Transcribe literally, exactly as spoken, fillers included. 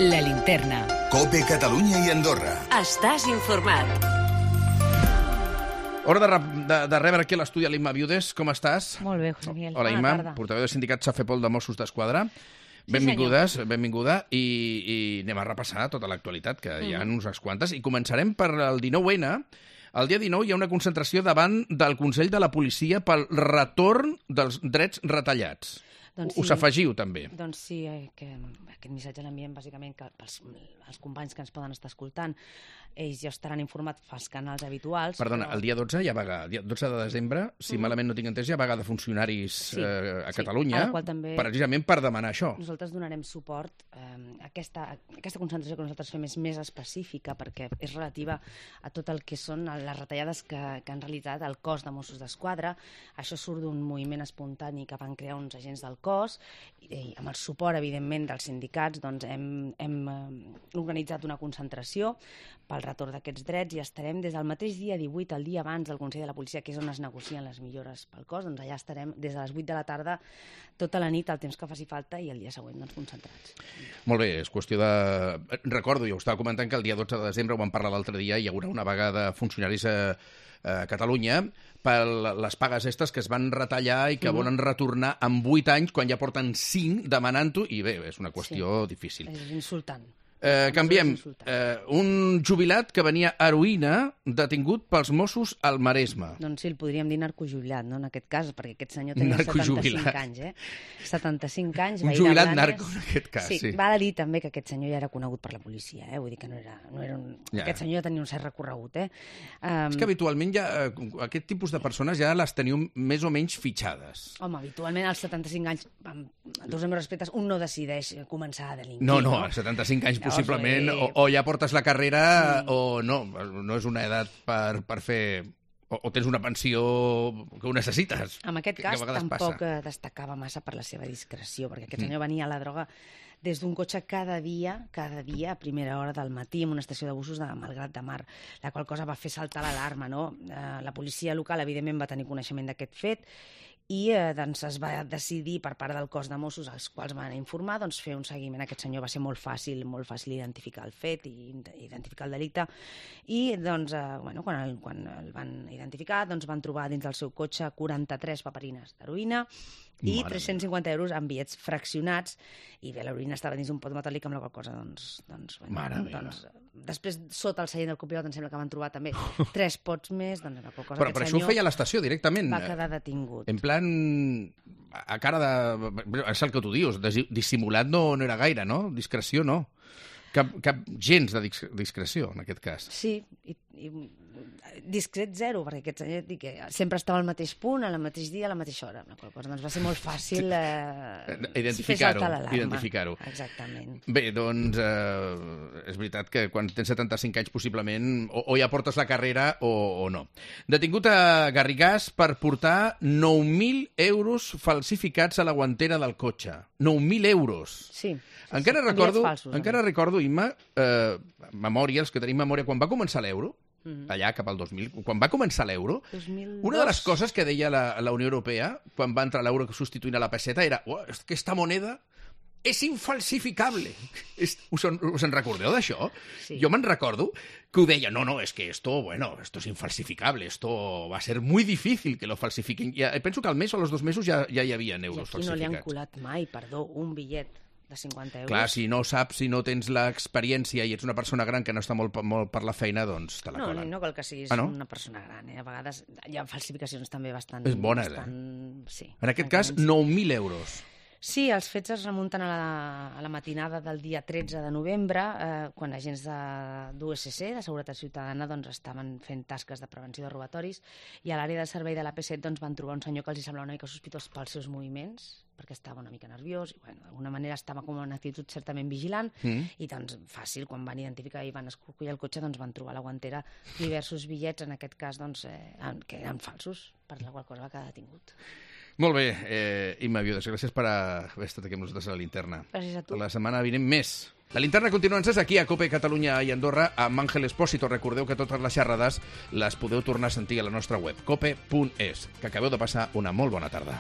La Linterna. COPE Catalunya i Andorra. Estàs informat. Hora de, de, de rebre aquí a l'estudi l'Imma Viudes. Com estàs? Molt bé, José Miguel. Hola, Bona Imma, tarda. portaveu del sindicat Safepol de Mossos d'Esquadra. Sí, Benvingudes, benvinguda, i, i anem a repassar tota l'actualitat, que hi ha unes quantes, i començarem per el dinou ene. El dia dinou hi ha una concentració davant del Consell de la Policia pel retorn dels drets retallats. Doncs Us sí. afegiu, també. Doncs sí, eh, que aquest missatge l'enviem bàsicament que pels els companys que ens poden estar escoltant, ells ja estaran informats pels canals habituals. Perdona, però... el dia dotze hi ha vaga. El dia dotze de desembre, si malament no tinc entès, hi ha vaga de funcionaris Sí, eh, a sí, Catalunya, a la qual també- precisament per demanar això. Nosaltres donarem suport. Eh, aquesta, aquesta concentració que nosaltres fem és més específica perquè és relativa a tot el que són les retallades que, que han realitzat el cos de Mossos d'Esquadra. Això surt d'un moviment espontani que van crear uns agents del cos i, i amb el suport, evidentment, dels sindicats doncs hem, hem eh, organitzat una concentració pel retorn d'aquests drets i estarem des del mateix dia divuit, el dia abans del Consell de la Policia, que és on es negocien les millores pel cos, doncs allà estarem des de les vuit de la tarda tota la nit, el temps que faci falta, i el dia següent doncs, concentrats. Molt bé, és qüestió de... Recordo, jo ho estava comentant, que el dia dotze de desembre, ho vam parlar l'altre dia, hi haurà una vaga de funcionaris a, a Catalunya per les pagues estes que es van retallar i que mm. volen retornar en vuit anys, quan ja porten cinc demanant-ho, i bé, és una qüestió Sí. difícil. És insultant. Eh, canviem. És insultant. Eh, un jubilat que venia heroïna detingut pels Mossos al Maresme. Doncs sí, el podríem dir narcojubilat, no?, en aquest cas, perquè aquest senyor tenia Narcojubilat. setanta-cinc anys, eh? setanta-cinc anys, Un veí de jubilat Blanes. narco, en aquest cas, sí. Sí, val a dir també que aquest senyor ja era conegut per la policia, eh? Vull dir que no era, no era un... Ja. Aquest senyor ja tenia un cert recorregut, eh? Um, És que habitualment ja, eh, aquest tipus de persones ja les teniu més o menys fitxades. Home, habitualment als setanta-cinc anys, amb tots els meus respectes, un no decideix començar a delinquir. No, no, als setanta-cinc anys Llavors, possiblement, eh, o, o ja portes la carrera mm. o no, no és una edat per, per fer... O, o tens una pensió que ho necessites. En aquest que, cas, que a vegades tampoc passa. eh, destacava massa per la seva discreció, perquè aquest senyor venia a la droga des d'un cotxe cada dia, cada dia, a primera hora del matí, en una estació de busos de Malgrat de Mar, la qual cosa va fer saltar l'alarma, no? Eh, la policia local, evidentment, va tenir coneixement d'aquest fet i eh, doncs es va decidir per part del cos de Mossos, als quals van informar, doncs fer un seguiment. Aquest senyor va ser molt fàcil, molt fàcil identificar el fet i identificar el delicte. I doncs, eh, bueno, quan, el, quan el van identificar, doncs van trobar dins del seu cotxe quaranta-tres paperines d'heroïna i Mare tres-cents cinquanta euros en bitllets fraccionats, i bé, l'heroïna estava dins un pot metàl·lic, amb la qual cosa, doncs... doncs, bueno, Mare meva. doncs després, sota el seient del copilot, em sembla que van trobar també tres pots més, doncs la qual cosa Però, aquest però això ho senyor feia a l'estació directament. va quedar detingut. En plan, a cara de... És el que tu dius, desi- dissimulat no, no era gaire, no? Discreció no. Cap, cap gens de dis- discreció, en aquest cas. Sí, i, i discret zero, perquè aquest senyor dic, que sempre estava al mateix punt, al mateix dia, a la mateixa hora. La qual cosa doncs, va ser molt fàcil eh, Identificar-ho, fer saltar l'alarma. identificar-ho. Exactament. Bé, doncs, eh, és veritat que quan tens setanta-cinc anys possiblement o, o ja portes la carrera o, o no. Detingut a Garrigàs per portar nou mil euros falsificats a la guantera del cotxe. nou mil euros. Sí. Encara sí, recordo, bitllets falsos, encara també. recordo, Imma, eh, memòria, els que tenim memòria, quan va començar l'euro, Mhm. allà cap al dos mil, quan va començar l'euro, dos mil dos. una de les coses que deia la, la Unió Europea, quan va entrar l'euro substituint a la peseta, era oh, aquesta moneda és infalsificable. És, us, en, us en recordeu d'això? Sí. Jo me'n recordo que ho deia, no, no, és que esto, bueno, esto es infalsificable, esto va a ser muy difícil que lo falsifiquen. I penso que al mes o als dos mesos ja, ja hi havia I euros aquí no li han falsificats. colat mai, perdó, un bitllet de cinquanta euros. Clar, si no saps, si no tens l'experiència i ets una persona gran que no està molt, molt per la feina, doncs te la No, colen. no cal que siguis Ah, no? una persona gran, eh? A vegades hi ha falsificacions també bastant... És bona, bastant... Sí, En aquest cas, francament, sí. nou mil euros. Sí, els fets es remunten a la, a la matinada del dia tretze de novembre, eh, quan agents de, d'U S C, de Seguretat Ciutadana, doncs, estaven fent tasques de prevenció de robatoris, i a l'àrea de servei de l'A P set doncs, van trobar un senyor que els semblava una mica sospitós pels seus moviments, perquè estava una mica nerviós, i bueno, d'alguna manera estava com en una actitud certament vigilant, Mm. i doncs fàcil, quan van identificar i van escorcollar el cotxe, doncs van trobar a la guantera diversos bitllets, en aquest cas, doncs, eh, que eren falsos, per la qual cosa va quedar detingut. Molt bé, eh, Imma Viudes, gràcies per haver estat aquí amb nosaltres a la Linterna. Gràcies a tu. La setmana vinent més. La Linterna continua encès aquí a COPE Catalunya i Andorra amb Àngel Espósito. Recordeu que totes les xerrades les podeu tornar a sentir a la nostra web, cope punt es. Que acabeu de passar una molt bona tarda.